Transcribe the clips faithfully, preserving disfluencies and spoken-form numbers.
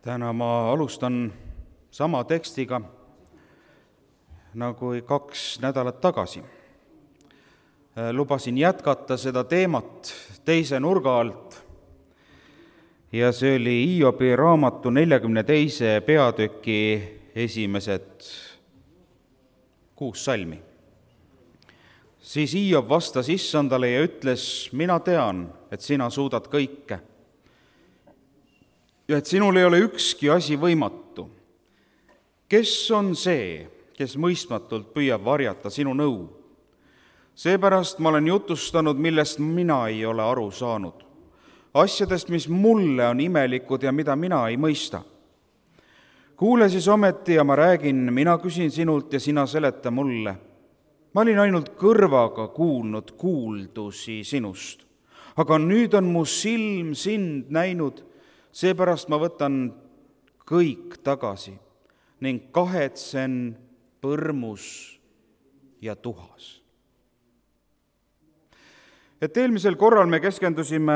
Täna ma alustan sama tekstiga nagu kaks nädalat tagasi. Lubasin jätkata seda teemat teise nurga alt ja see oli Hiobi raamatu neljakümne teise peatüki esimesed kuus salmi. Siis Hiob vastas Issandale ja ütles, mina tean, et sina suudad kõike ja et sinul ei ole ükski asi võimatu. Kes on see, kes mõistmatult püüab varjata sinu nõu? Seepärast ma olen jutustanud, millest mina ei ole aru saanud. Asjadest, mis mulle on imelikud ja mida mina ei mõista. Kuule siis ometi ja ma räägin, mina küsin sinult ja sina seleta mulle. Ma olin ainult kõrvaga kuulnud kuuldusi sinust, aga nüüd on mu silm sind näinud. Seepärast ma võtan kõik tagasi ning kahetsen põrmus ja tuhas. Et eelmisel korral me keskendusime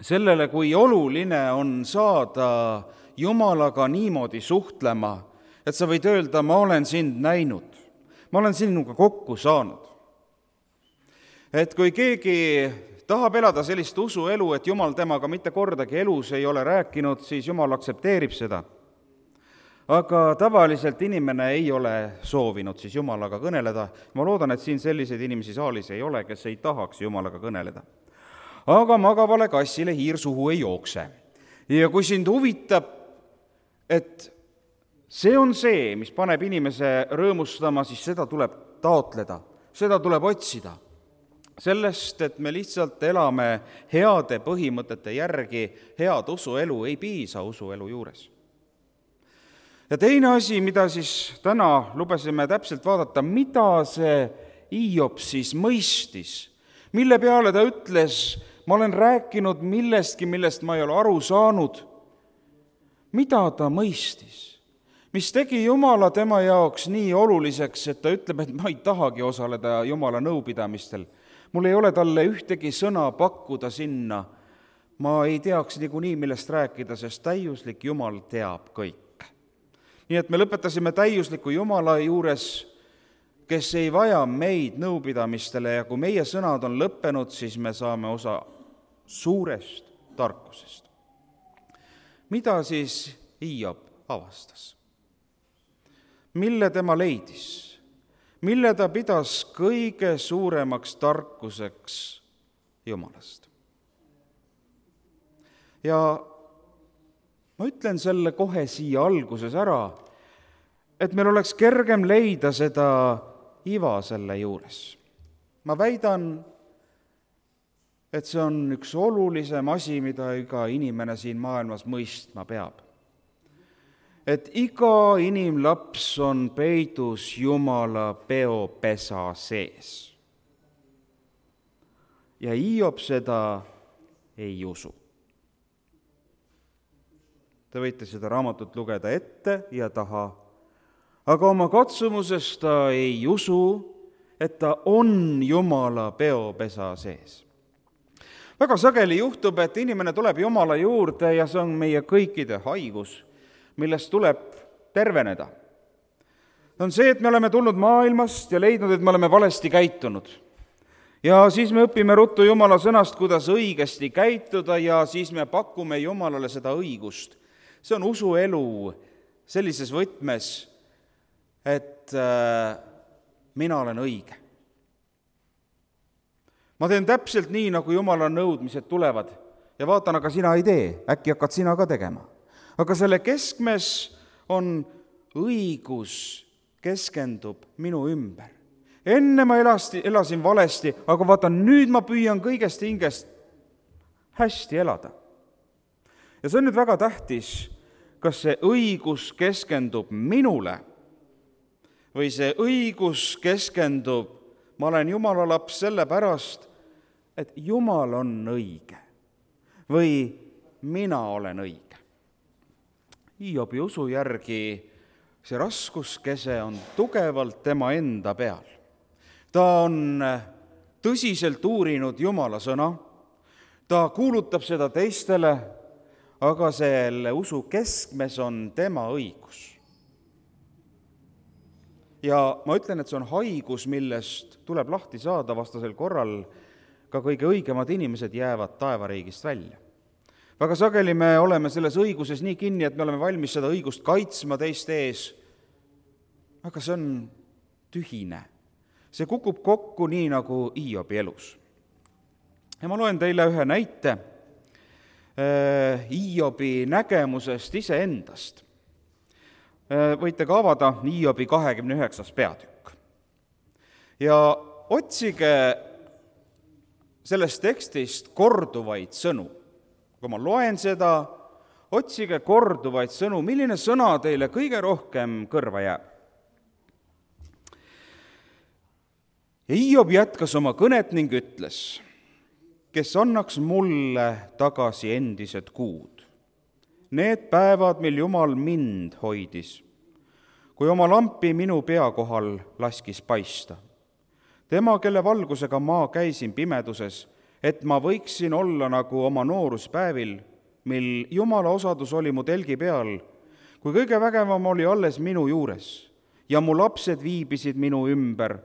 sellele, kui oluline on saada Jumalaga niimoodi suhtlema, et sa võid öelda, ma olen sind näinud, ma olen sinuga kokku saanud. Et kui keegi tahab elada sellist usuelu, et Jumal temaga mitte kordagi elus ei ole rääkinud, siis Jumal aktsepteerib seda. Aga tavaliselt inimene ei ole soovinud siis Jumalaga kõneleda. Ma loodan, et siin selliseid inimesi saalis ei ole, kes ei tahaks Jumalaga kõneleda. Aga magavale kassile hiir suhu ei jookse. Ja kui sind huvitab, et see on see, mis paneb inimese rõõmustama, siis seda tuleb taotleda, seda tuleb otsida. Sellest, et me lihtsalt elame heade põhimõtete järgi, head usuelu ei piisa usuelu juures. Ja teine asi, mida siis täna lubasime täpselt vaadata, mida see Hiob siis mõistis, mille peale ta ütles, ma olen rääkinud millestki, millest ma ei ole aru saanud. Mida ta mõistis? Mis tegi Jumala tema jaoks nii oluliseks, et ta ütleb, et ma ei tahagi osaleda Jumala nõupidamistel. Mul ei ole talle ühtegi sõna pakkuda sinna. Ma ei teaks niikuinii, millest rääkida, sest täiuslik Jumal teab kõik. Nii et me lõpetasime täiusliku Jumala juures, kes ei vaja meid nõupidamistele ja kui meie sõnad on lõppenud, siis me saame osa suurest tarkusest. Mida siis Hiob avastas? Mille tema leidis? Mille ta pidas kõige suuremaks tarkuseks Jumalast? Ja ma ütlen selle kohe siia alguses ära, et meil oleks kergem leida seda iva selle juures. Ma väidan, et see on üks olulisem asi, mida iga inimene siin maailmas mõistma peab. Et iga inimlaps on peidus Jumala peopesa sees. Ja Hiob seda ei usu. Te võite seda raamatut lugeda ette ja taha, aga oma katsumuses ta ei usu, et ta on Jumala peopesa sees. Väga sageli juhtub, et inimene tuleb Jumala juurde ja see on meie kõikide haigus, millest tuleb terveneda. On see, et me oleme tulnud maailmast ja leidnud, et me oleme valesti käitunud. Ja siis me õpime ruttu Jumala sõnast, kuidas õigesti käituda ja siis me pakume Jumalale seda õigust. See on usuelu sellises võtmes, et äh, mina olen õige. Ma teen täpselt nii, nagu Jumala nõudmised tulevad ja vaatan, aga sina ei tee, äkki hakkad sina ka tegema. Aga selle keskmes on õigus keskendub minu ümber. Enne ma elasti, elasin valesti, aga vaatan, nüüd ma püüan kõigest hingest hästi elada. Ja see on nüüd väga tähtis, kas see õigus keskendub minule või see õigus keskendub, ma olen Jumala laps sellepärast, et Jumal on õige või mina olen õige. Hiobi usu järgi see raskuskese on tugevalt tema enda peal. Ta on tõsiselt uurinud Jumala sõna, ta kuulutab seda teistele, aga selle usu keskmes on tema õigus. Ja ma ütlen, et see on haigus, millest tuleb lahti saada, vastasel korral ka kõige õigemad inimesed jäävad taevariigist välja. Väga sageli me oleme selles õiguses nii kinni, et me oleme valmis seda õigust kaitsma teiste ees, aga see on tühine. See kukub kokku nii nagu Hiobi elus. Ja ma loen teile ühe näite Hiobi nägemusest iseendast. Võite ka avada Hiobi kahekümne üheksas peatükk. Ja otsige sellest tekstist korduvaid sõnu. Kui ma loen seda, otsige korduvaid sõnu, milline sõna teile kõige rohkem kõrva jääb. Ja Hiob jätkas oma kõnet ning ütles, kes annaks mulle tagasi endised kuud. Need päevad, mil Jumal mind hoidis, kui oma lampi minu pea kohal laskis paista. Tema, kelle valgusega ma käisin pimeduses, et ma võiksin olla nagu oma nooruspäevil, mil Jumala osadus oli mu telgi peal, kui kõige vägevam oli alles minu juures ja mu lapsed viibisid minu ümber,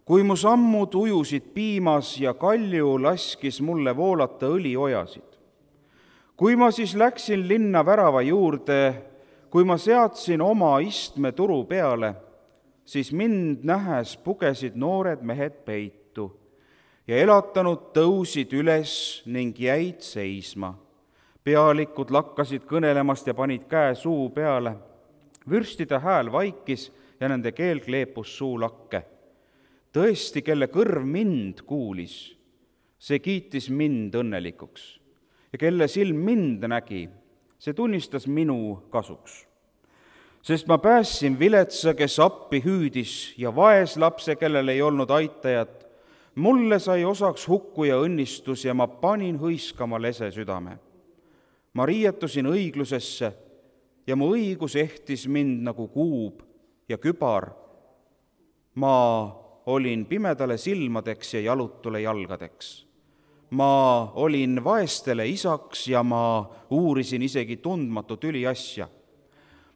kui mu sammud ujusid piimas ja kalju laskis mulle voolata õliojasid. Kui ma siis läksin linna värava juurde, kui ma seadsin oma istme turu peale, siis mind nähes pugesid noored mehed peitu ja elatanud tõusid üles ning jäid seisma. Pealikud lakkasid kõnelemast ja panid käe suu peale. Vürstide hääl vaikis ja nende keel kleepus suulakke. Tõesti, kelle kõrv mind kuulis, see kiitis mind õnnelikuks. Ja kelle silm mind nägi, see tunnistas minu kasuks. Sest ma päässin viletsa, kes appi hüüdis, ja vaeslapse, kellel ei olnud aitajat. Mulle sai osaks hukku ja õnnistus ja ma panin hõiskama lese südame. Ma riietusin õiglusesse ja mu õigus ehtis mind nagu kuub ja kübar. Ma olin pimedale silmadeks ja jalutule jalgadeks. Ma olin vaestele isaks ja ma uurisin isegi tundmatu tüliasja.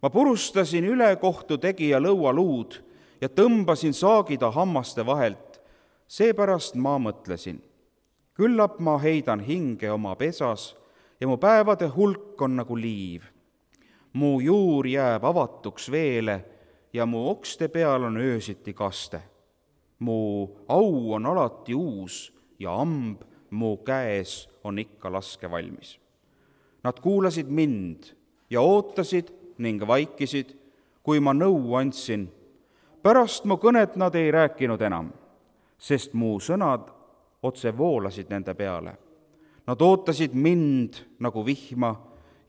Ma purustasin ülekohtu tegija lõualuud ja tõmbasin saagida hammaste vahelt. Seepärast ma mõtlesin, küllap ma heidan hinge oma pesas ja mu päevade hulk on nagu liiv. Mu juur jääb avatuks veele ja mu okste peal on öösiti kaste. Mu au on alati uus ja amb mu käes on ikka laske valmis. Nad kuulasid mind ja ootasid ning vaikisid, kui ma nõu andsin. Pärast mu kõnet nad ei rääkinud enam, sest mu sõnad otse voolasid nende peale. Nad ootasid mind nagu vihma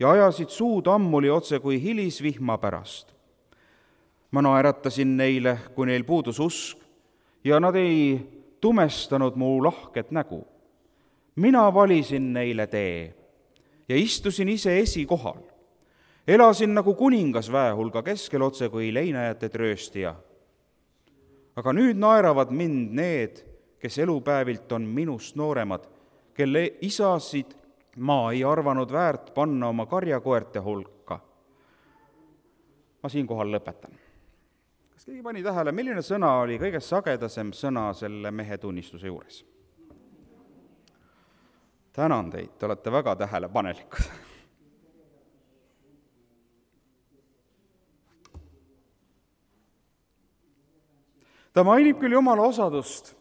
ja ajasid suud ammuli otse kui hilisvihma pärast. Ma naeratasin neile, kui neil puudus usk, ja nad ei tumestanud mu lahket nägu. Mina valisin neile tee ja istusin ise esikohal. Elasin nagu kuningas väehulga keskel otse kui leinajate trööstija. Aga nüüd naeravad mind need, kes elupäevilt on minust nooremad, kelle isasid ma ei arvanud väärt panna oma karjakoerte hulka. Ma siinkohal lõpetan. Kas keegi pani tähele, milline sõna oli kõige sagedasem sõna selle mehe tunnistuse juures? Tänan teid, te olete väga tähelepanelikud. Ta mainib küll Jumala osadust,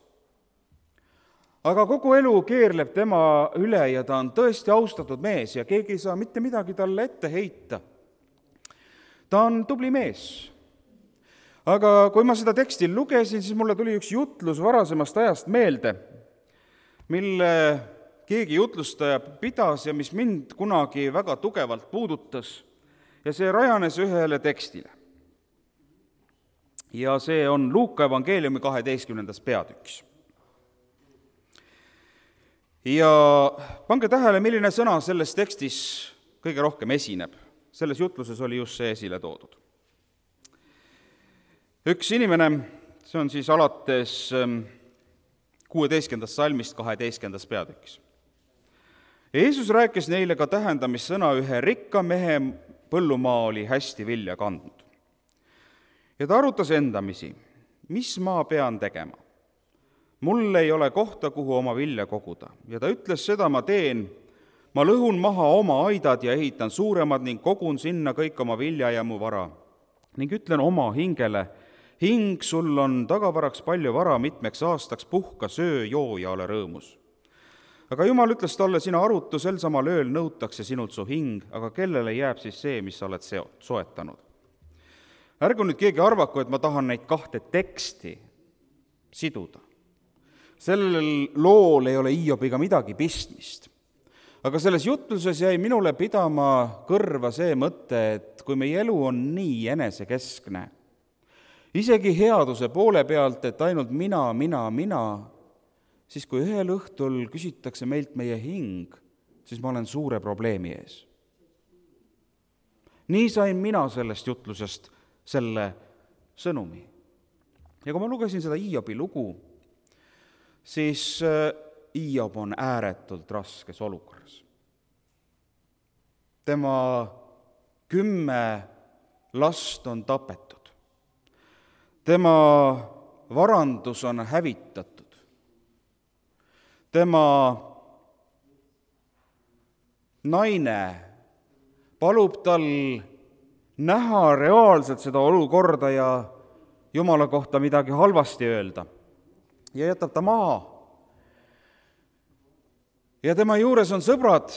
aga kogu elu keerleb tema üle ja ta on tõesti austatud mees ja keegi ei saa mitte midagi talle ette heita. Ta on tubli mees. Aga kui ma seda teksti lugesin, siis mulle tuli üks jutlus varasemast ajast meelde, mille keegi jutlustaja pidas ja mis mind kunagi väga tugevalt puudutas ja see rajanes ühele tekstile. Ja see on Luuka evangeeliumi kaheteistkümnendas peatükis. Ja pange tähele, milline sõna selles tekstis kõige rohkem esineb. Selles jutluses oli just see esile toodud. Üks inimene, see on siis alates kuueteistkümnendast salmist kaheteistkümnendas peatükis. Jeesus rääkis neile ka tähendamissõna, ühe rikka mehe põllumaa oli hästi vilja kandnud. Ja ta arutas endamisi, mis ma pean tegema. Mul ei ole kohta, kuhu oma vilja koguda. Ja ta ütles, seda ma teen, ma lõhun maha oma aidad ja ehitan suuremad ning kogun sinna kõik oma vilja ja mu vara. Ning ütlen oma hingele, hing, sul on tagavaraks palju vara mitmeks aastaks, puhka, söö, joo ja ole rõõmus. Aga Jumal ütles talle, sina arutu, sel samal ööl nõutakse sinult su hing, aga kellele jääb siis see, mis sa oled soetanud? Ärgu nüüd keegi arvaku, et ma tahan neid kahte teksti siduda. Sellel lool ei ole Hiobiga midagi pistmist. Aga selles jutluses jäi minule pidama kõrva see mõte, et kui meie elu on nii enesekeskne, isegi headuse poole pealt, et ainult mina, mina, mina, siis kui ühel õhtul küsitakse meilt meie hing, siis ma olen suure probleemi ees. Nii sain mina sellest jutlusest selle sõnumi. Ja kui ma lugesin seda Hiobi lugu, siis Hiob on ääretult raskes olukorras. Tema kümme last on tapetud. Tema varandus on hävitatud. Tema naine palub tal näha reaalselt seda olukorda ja Jumala kohta midagi halvasti öelda ja jätab ta maha. Ja tema juures on sõbrad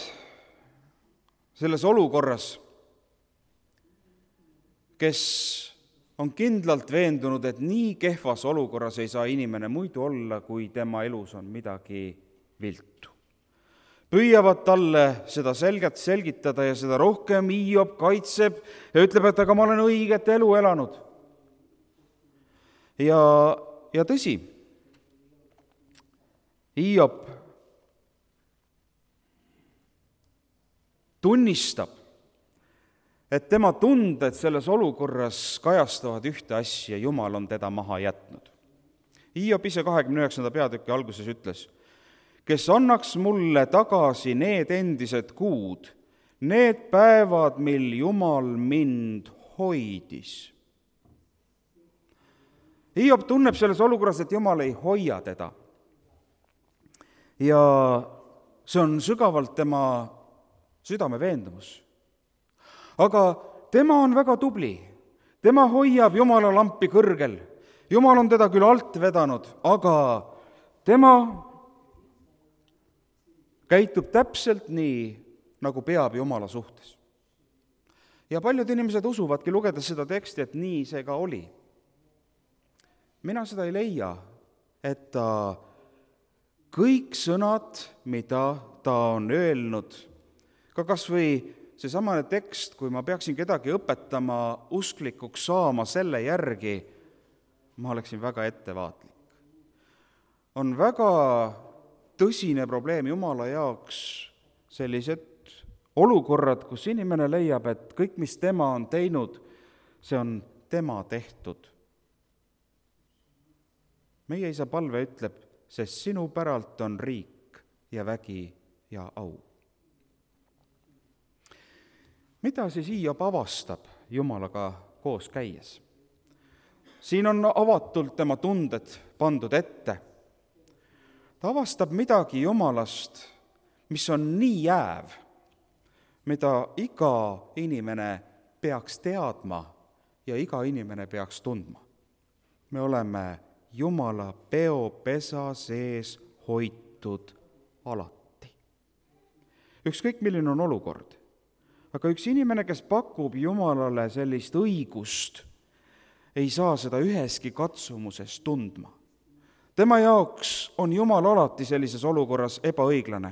selles olukorras, kes on kindlalt veendunud, et nii kehvas olukorras ei saa inimene muidu olla, kui tema elus on midagi viltu. Püüavad talle seda selgelt selgitada ja seda rohkem Hiob kaitseb ja ütleb, et aga ma olen õiget elu elanud. Ja, ja tõsi, Hiob tunnistab, et tema tunded selles olukorras kajastavad ühte asja, Jumal on teda maha jätnud. Hiob ise kahekümne üheksanda peatüki alguses ütles, kes annaks mulle tagasi need endised kuud, need päevad, mil Jumal mind hoidis. Hiob tunneb selles olukorras, et Jumal ei hoia teda. Ja see on sügavalt tema südame veendumus. Aga tema on väga tubli. Tema hoiab Jumala lampi kõrgel. Jumal on teda küll alt vedanud, aga tema käitub täpselt nii, nagu peab Jumala suhtes. Ja paljud inimesed usuvadki, lugedes seda teksti, et nii see ka oli. Mina seda ei leia, et ta kõik sõnad, mida ta on öelnud, ka kas või see samane tekst, kui ma peaksin kedagi õpetama usklikuks saama selle järgi, ma oleksin väga ettevaatlik. On väga tõsine probleem Jumala jaoks sellised olukorrad, kus inimene leiab, et kõik, mis tema on teinud, see on tema tehtud. Meie isa palve ütleb, sest sinu päralt on riik ja vägi ja au. Mida siis Hiob avastab Jumalaga koos käies? Siin on avatult tema tunded pandud ette. Ta avastab midagi Jumalast, mis on nii jääv, mida iga inimene peaks teadma ja iga inimene peaks tundma. Me oleme Jumala peopesa sees hoitud alati. Ükskõik, milline on olukord. Aga üks inimene, kes pakub Jumalale sellist õigust, ei saa seda üheski katsumuses tundma. Tema jaoks on Jumal alati sellises olukorras ebaõiglane.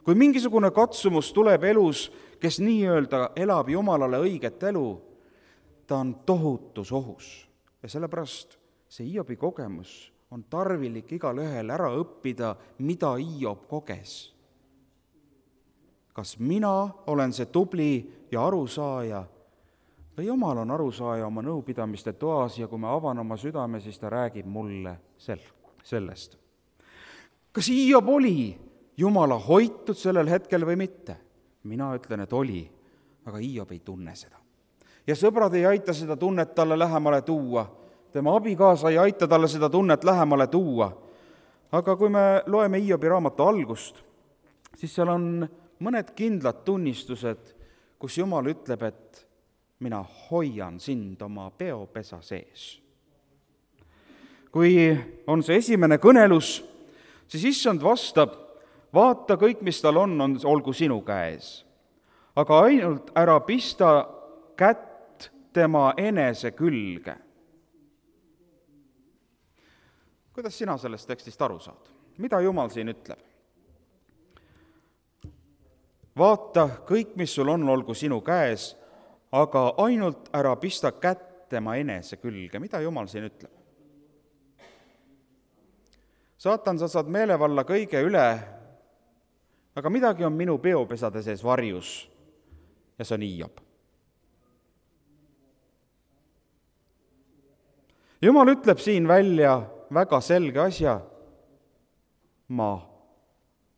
Kui mingisugune katsumus tuleb elus, kes nii-öelda elab Jumalale õiget elu, ta on tohutus ohus. Ja sellepärast see Hiobi kogemus on tarvilik igal ühel ära õppida, mida Hiob koges. Kas mina olen see tubli ja arusaaja või Jumal on arusaaja oma nõupidamiste toas ja kui ma avan oma südame, siis ta räägib mulle sellest. Kas Hiob oli Jumala hoitud sellel hetkel või mitte? Mina ütlen, et oli, aga Hiob ei tunne seda. Ja sõbrad ei aita seda tunnet talle lähemale tuua. Tema abikaasa ei aita talle seda tunnet lähemale tuua. Aga kui me loeme Hiobi raamatu algust, siis seal on mõned kindlad tunnistused, kus Jumal ütleb, et mina hoian sind oma peopesa sees. Kui on see esimene kõnelus, siis issand vastab, vaata, kõik, mis tal on, on, olgu sinu käes. Aga ainult ära pista kätt tema enese külge. Kuidas sina sellest tekstist aru saad? Mida Jumal siin ütleb? Vaata, kõik, mis sul on, olgu sinu käes, aga ainult ära pista kätt tema enese külge. Mida Jumal siin ütleb? Saatan, sa saad meelevalla kõige üle, aga midagi on minu peopesade sees varjus ja see on Hiob. Jumal ütleb siin välja väga selge asja. Ma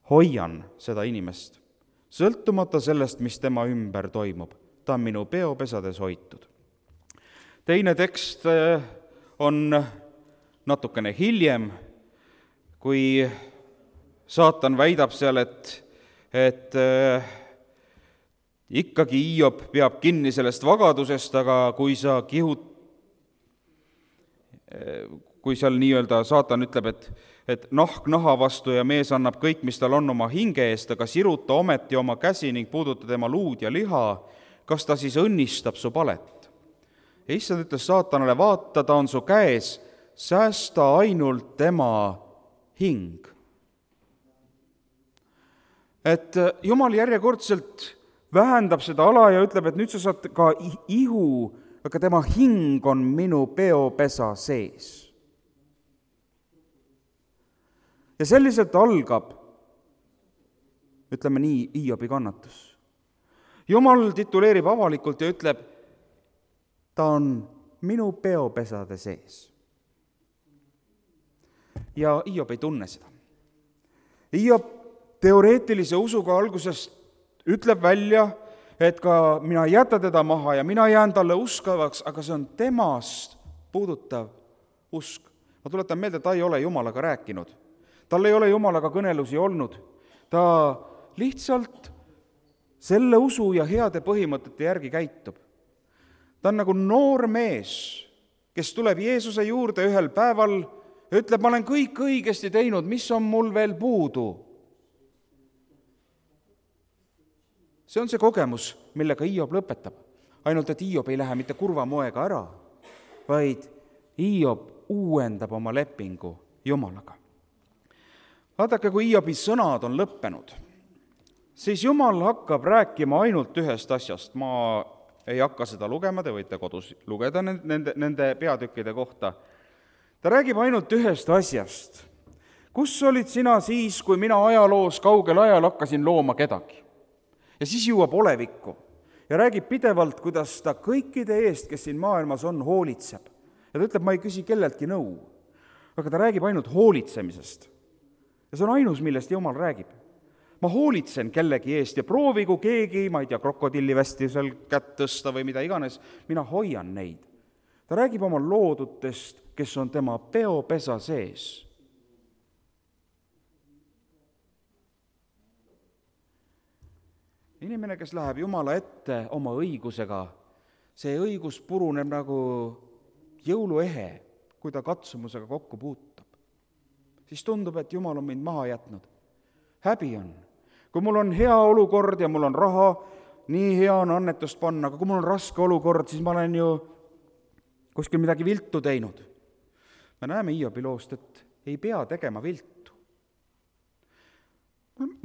hoian seda inimest, sõltumata sellest, mis tema ümber toimub. Ta on minu peopesades hoitud. Teine tekst on natukene hiljem, kui saatan väidab seal, et, et äh, ikkagi Hiob peab kinni sellest vagadusest, aga kui sa kihud, kui seal nii-öelda saatan ütleb, et, et nahk naha vastu ja mees annab kõik, mis tal on oma hinge eest, aga siruta ometi oma käsi ning puuduta tema luud ja liha, kas ta siis õnnistab su palet? Ja issand ütles saatanale, vaata, ta on su käes, säästa ainult tema hing. Et Jumal järjekordselt vähendab seda ala ja ütleb, et nüüd sa saad ka ihu, aga tema hing on minu peopesa sees. Ja selliselt algab, ütleme nii, Hiobi kannatus. Jumal tituleerib avalikult ja ütleb, ta on minu peopesade sees. Ja Hiob ei tunne seda. Hiob teoreetilise usuga algusest ütleb välja, et ka mina ei jäta teda maha ja mina jään talle uskavaks, aga see on temast puudutav usk. Ma tuletan meelde, ta ei ole Jumalaga rääkinud. Tal ei ole Jumalaga kõnelusi olnud. Ta lihtsalt selle usu ja heade põhimõtete järgi käitub. Ta on nagu noor mees, kes tuleb Jeesuse juurde ühel päeval ja ütleb, ma olen kõik õigesti teinud, mis on mul veel puudu? See on see kogemus, millega Hiob lõpetab. Ainult, et Hiob ei lähe mitte kurva moega ära, vaid Hiob uuendab oma lepingu Jumalaga. Vaadake, kui Hiobi sõnad on lõppenud, siis Jumal hakkab rääkima ainult ühest asjast. Ma ei hakka seda lugema, te võite kodus lugeda nende, nende peatükkide kohta. Ta räägib ainult ühest asjast. Kus olid sina siis, kui mina ajaloos kaugel ajal hakkasin looma kedagi? Ja siis jõuab olevikku ja räägib pidevalt, kuidas ta kõikide eest, kes siin maailmas on, hoolitseb. Ja ta ütleb, ma ei küsi kelleltki nõu, aga ta räägib ainult hoolitsemisest. Ja see on ainus, millest Jumal räägib. Ma hoolitsen kellegi eest ja proovigu keegi, ma ei tea, krokodillivästi seal kätt tõsta või mida iganes, mina hoian neid. Ta räägib oma loodutest, kes on tema peopesa sees. Inimene, kes läheb Jumala ette oma õigusega, see õigus puruneb nagu jõuluehe, kui ta katsumusega kokku puutab. Siis tundub, et Jumal on mind maha jätnud. Häbi on. Kui mul on hea olukord ja mul on raha, nii hea on annetust panna, aga kui mul on raske olukord, siis ma olen ju kuskil midagi viltu teinud. Me näeme Hiobi loost, et ei pea tegema viltu.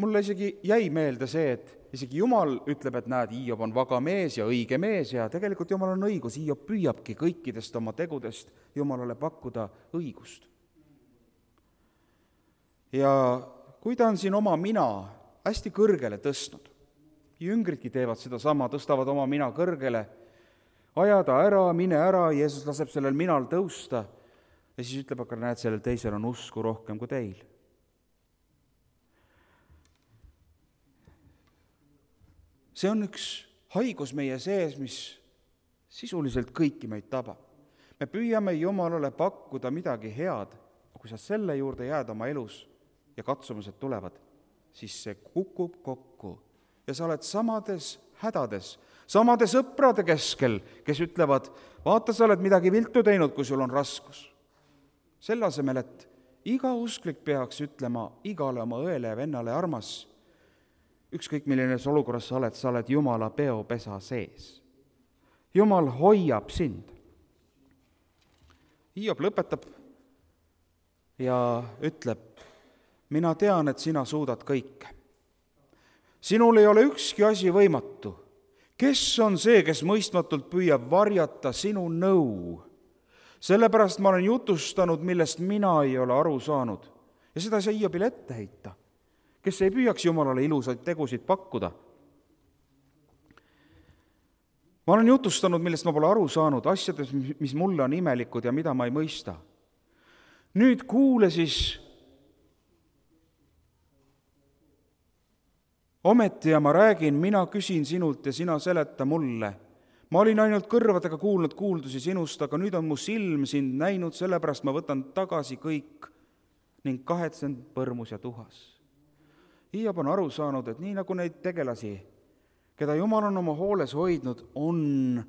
Mulle isegi jäi meelde see, et isegi Jumal ütleb, et näed, Hiob on vaga mees ja õige mees ja tegelikult Jumal on õigus. Hiob püüabki kõikidest oma tegudest Jumalale pakkuda õigust. Ja kui ta on siin oma mina hästi kõrgele tõstnud, jüngridki teevad seda sama, tõstavad oma mina kõrgele, ajada ära, mine ära, Jeesus laseb sellel minal tõusta ja siis ütleb, aga näed, sellel teisel on usku rohkem kui teil. see on üks haigus meie sees, mis sisuliselt kõiki meid tabab. Me püüame Jumalale pakkuda midagi head, kui sa selle juurde jääd oma elus ja katsumused tulevad, siis see kukub kokku ja sa oled samades hädades, samade sõprade keskel, kes ütlevad, vaata, sa oled midagi viltu teinud, kui sul on raskus. Selle asemel, et iga usklik peaks ütlema igale oma õele ja vennale armas, ükskõik milline olukorras sa oled, sa oled Jumala peopesa sees. Jumal hoiab sind. Hiob lõpetab ja ütleb, mina tean, et sina suudad kõike. Sinul ei ole ükski asi võimatu. Kes on see, kes mõistmatult püüab varjata sinu nõu? Sellepärast ma olen jutustanud, millest mina ei ole aru saanud. Ja seda ei saa Hiobile ette heita, kes ei püüaks Jumalale ilusaid tegusid pakkuda. Ma olen jutustanud, millest ma pole aru saanud, asjades, mis mulle on imelikud ja mida ma ei mõista. Nüüd kuule siis ometi ja ma räägin, mina küsin sinult ja sina seleta mulle. Ma olin ainult kõrvadega kuulnud kuuldusi sinust, aga nüüd on mu silm sind näinud, sellepärast ma võtan tagasi kõik ning kahetsen põrmus ja tuhas. Hiob on aru saanud, et nii nagu neid tegelasi, keda Jumal on oma hooles hoidnud, on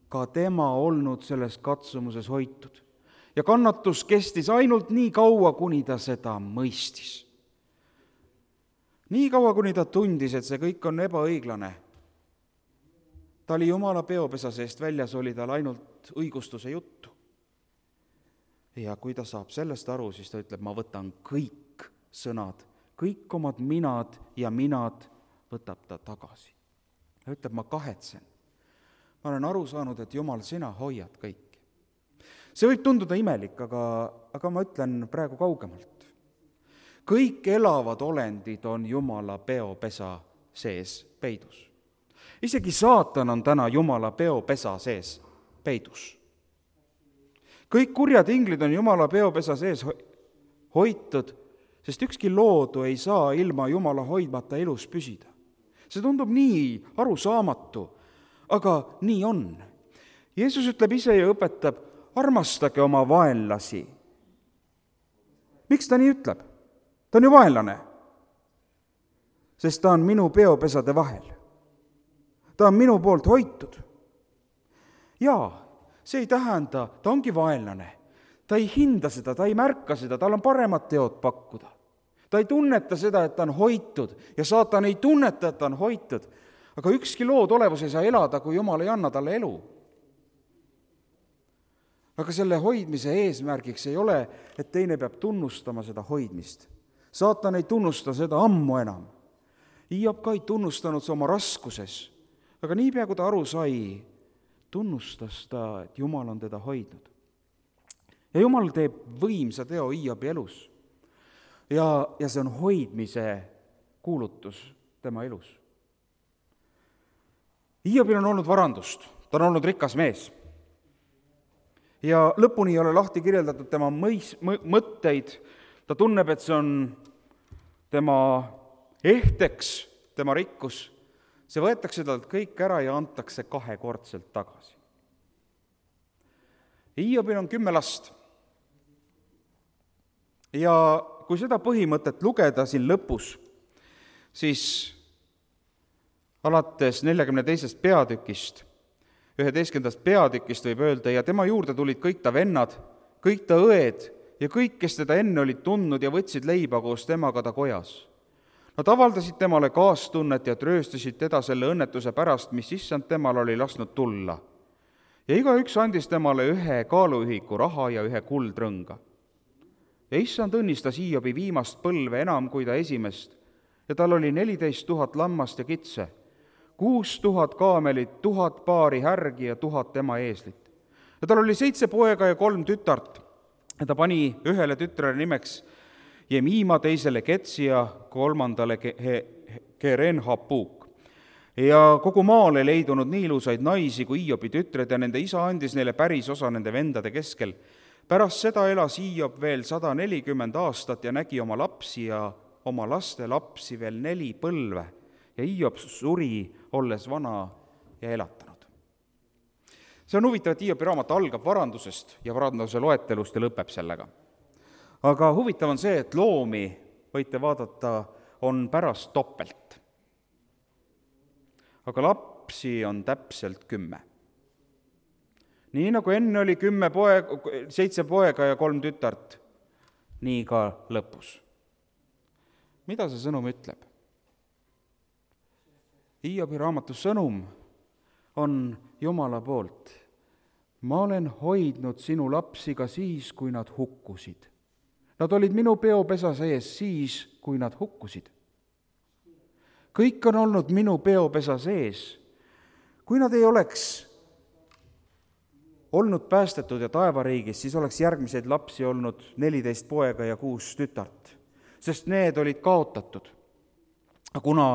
ka tema olnud selles katsumuses hoitud. Ja kannatus kestis ainult nii kaua, kuni ta seda mõistis. Nii kaua, kuni ta tundis, et see kõik on ebaõiglane. Ta oli Jumala peopesa seest väljas, oli tal ainult õigustuse juttu. Ja kui ta saab sellest aru, siis ta ütleb, ma võtan kõik sõnad, kõik omad minad ja minad võtab ta tagasi. Ta ütleb, ma kahetsen. Ma olen aru saanud, et Jumal, sina hoiad kõiki. See võib tunduda imelik, aga, aga ma ütlen praegu kaugemalt. Kõik elavad olendid on Jumala peopesa sees peidus. Isegi saatan on täna Jumala peopesa sees peidus. Kõik kurjad inglid on Jumala peopesa sees hoitud, sest ükski loodu ei saa ilma Jumala hoidmata elus püsida. See tundub nii arusaamatu, aga nii on. Jeesus ütleb ise ja õpetab, armastage oma vaenlasi. Miks ta nii ütleb? Ta on ju vaenlane, sest ta on minu peopesade vahel. Ta on minu poolt hoitud. Jaa, see ei tähenda, ta ongi vaenlane. Ta ei hinda seda, ta ei märka seda, tal on paremad teod pakkuda. Ta ei tunneta seda, et ta on hoitud ja saatan ei tunneta, et ta on hoitud. Aga ükski lood olevus ei saa elada, kui Jumal ei anna talle elu. Aga selle hoidmise eesmärgiks ei ole, et teine peab tunnustama seda hoidmist. Saatan ei tunnusta seda ammu enam. Hiob ka ei tunnustanud see oma raskuses. Aga niipea, kui ta aru sai, tunnustas ta, et Jumal on teda hoidnud. Ja Jumal teeb võimsa teo Hiobi elus. Ja, ja see on hoidmise kuulutus tema elus. Hiobil on olnud varandust, ta on olnud rikas mees. Ja lõpuni ei ole lahti kirjeldatud tema mõis, mõtteid, ta tunneb, et see on tema ehteks, tema rikkus. See võetakse talt kõik ära ja antakse kahekordselt tagasi. Hiobil on kümme last. Ja kui seda põhimõtet lugeda siin lõpus, siis alates neljakümne teisest peatükist, üheteistkümnendast peatükist võib öelda, ja tema juurde tulid kõik ta vennad, kõik ta õed ja kõik, kes teda enne olid tundnud ja võtsid leiba koos temaga ta kojas. Nad avaldasid temale kaastunnet ja trööstasid teda selle õnnetuse pärast, mis issand temal oli lasknud tulla. Ja igaüks andis temale ühe kaaluühiku raha ja ühe kuldrõnga. Ja issand õnnistas Hiobi viimast põlve enam kui ta esimest, ja tal oli neliteist tuhat lammast ja kitse, kuus tuhat kaamelit, tuhat paari härgi ja tuhat tema eeslit. Ja tal oli seitse poega ja kolm tütart, ja ta pani ühele tütrele nimeks Jemima, teisele Ketsi ja kolmandale Kerenhapuk. Ja kogu maal ei leidunud nii ilusaid naisi kui Hiobi tütred ja nende isa andis neile päris osa nende vendade keskel. Pärast seda elas Hiob veel sada nelikümmend aastat ja nägi oma lapsi ja oma laste lapsi veel neli põlve. ja Hiob suri, olles vana ja elatanud. See on huvitav, et Hiobi raamat algab varandusest ja varanduse loetelust ja lõpeb sellega. Aga huvitav on see, et loomi, võite vaadata, on pärast topelt. Aga lapsi on täpselt kümme. Nii nagu enne oli kümme poeg, seitse poega ja kolm tütart, nii ka lõpus. Mida see sõnum ütleb? Hiobi raamatu sõnum on Jumala poolt. Ma olen hoidnud sinu lapsi ka siis, kui nad hukkusid. Nad olid minu peopesa sees siis, kui nad hukkusid. Kõik on olnud minu peopesa sees. Kui nad ei oleks olnud päästetud ja taevariigis, siis oleks järgmiseid lapsi olnud neliteist poega ja kuus tütart, sest need olid kaotatud. Kuna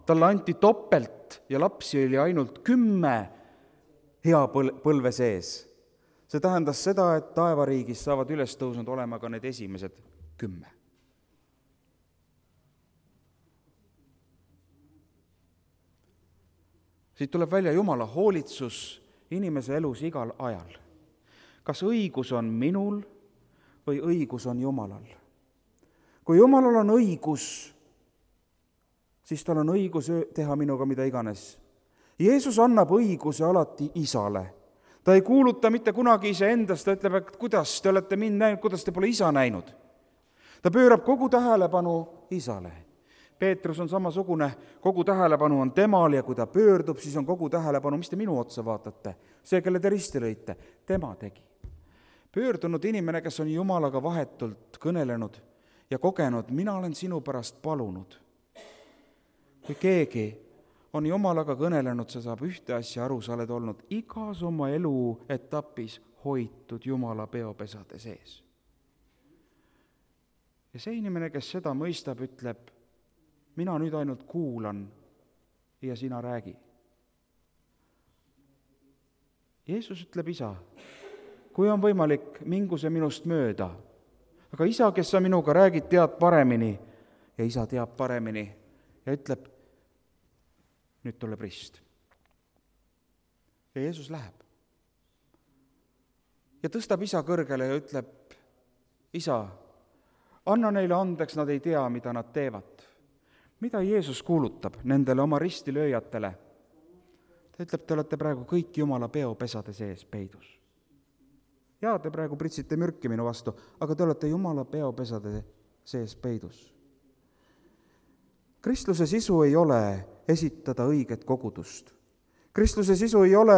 talle anti topelt ja lapsi oli ainult kümme hea põlve sees, see tähendas seda, et taevariigis saavad üles tõusnud olema ka need esimesed kümme. Siit tuleb välja Jumala hoolitsus inimese elus igal ajal. Kas õigus on minul või õigus on Jumalal? Kui Jumalal on õigus, siis tal on õigus teha minuga mida iganes. Jeesus annab õiguse alati Isale. Ta ei kuuluta mitte kunagi iseendast, ta ütleb, et kuidas te olete mind näinud, kuidas te pole Isa näinud. Ta pöörab kogu tähelepanu Isale. Peetrus on samasugune, kogu tähelepanu on temal ja kui ta pöördub, siis on kogu tähelepanu, mis te minu otsa vaatate, see, kelle te risti lõite, tema tegi. Pöördunud inimene, kes on Jumalaga vahetult kõnelenud ja kogenud, mina olen sinu pärast palunud. Kui keegi on Jumalaga kõnelenud, see saab ühte asja aru, sa oled olnud igas oma elu etapis hoitud Jumala peopesade sees. Ja see inimene, kes seda mõistab, ütleb, mina nüüd ainult kuulan ja sina räägi. Jeesus ütleb, Isa, kui on võimalik, mingu see minust mööda. Aga Isa, kes sa minuga räägid, tead paremini ja Isa teab paremini ja ütleb, nüüd tuleb rist. Ja Jeesus läheb. Ja tõstab Isa kõrgele ja ütleb, Isa, anna neile andeks, nad ei tea, mida nad teevad. Mida Jeesus kuulutab nendele oma ristilööjatele? Ta ütleb, te olete praegu kõik Jumala peopesade sees peidus. Jaa, te praegu pritsite mürki minu vastu, aga te olete Jumala peopesade sees peidus. Kristluse sisu ei ole esitada õiget kogudust. Kristluse sisu ei ole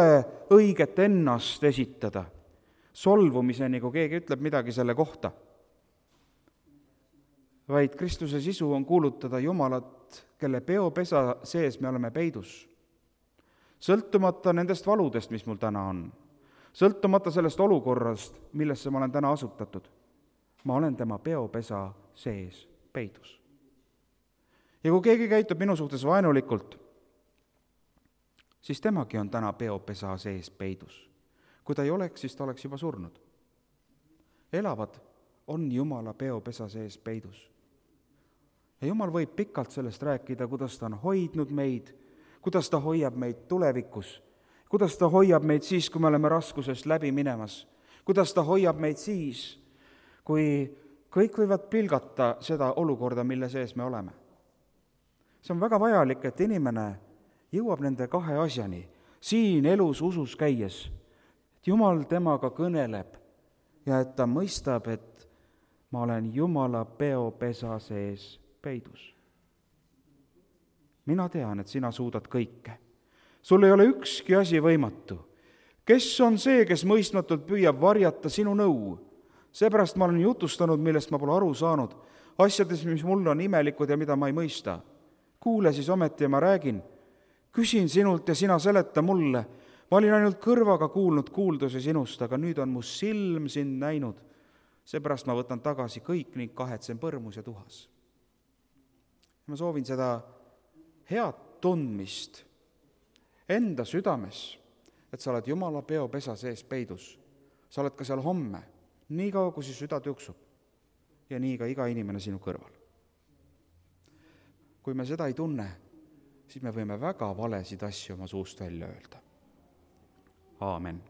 õiget ennast esitada, solvumiseni, kui keegi ütleb midagi selle kohta. Vaid Kristuse sisu on kuulutada Jumalat, kelle peopesa sees me oleme peidus. Sõltumata nendest valudest, mis mul täna on. Sõltumata sellest olukorrast, millesse ma olen täna asutatud. Ma olen tema peopesa sees peidus. Ja kui keegi käitub minu suhtes vaenulikult, siis temagi on täna peopesa sees peidus. Kui ta ei oleks, siis ta oleks juba surnud. Elavad on Jumala peopesa sees peidus. Ja Jumal võib pikalt sellest rääkida, kuidas ta on hoidnud meid, kuidas ta hoiab meid tulevikus, kuidas ta hoiab meid siis, kui me oleme raskusest läbi minemas, kuidas ta hoiab meid siis, kui kõik võivad pilgata seda olukorda, mille sees me oleme. See on väga vajalik, et inimene jõuab nende kahe asjani, siin elus usus käies, et Jumal temaga kõneleb ja et ta mõistab, et ma olen Jumala peopesa sees peidus. Mina tean, et sina suudad kõike. Sul ei ole ükski asi võimatu. Kes on see, kes mõistmatult püüab varjata sinu nõu? Seepärast ma olen jutustanud, millest ma pole aru saanud, asjades, mis mulle on imelikud ja mida ma ei mõista. Kuule siis ometi ja ma räägin. Küsin sinult ja sina seleta mulle. Ma olin ainult kõrvaga kuulnud kuuldusi sinust, aga nüüd on mu silm sind näinud. Seepärast ma võtan tagasi kõik ning kahetsen põrmus ja tuhas. Ma soovin seda head tundmist enda südames, et sa oled Jumala peopesa sees peidus. Sa oled ka seal homme, nii kaua, kui süda tüksub ja nii ka iga inimene sinu kõrval. Kui me seda ei tunne, siis me võime väga valesid asju oma suust välja öelda. Aamen.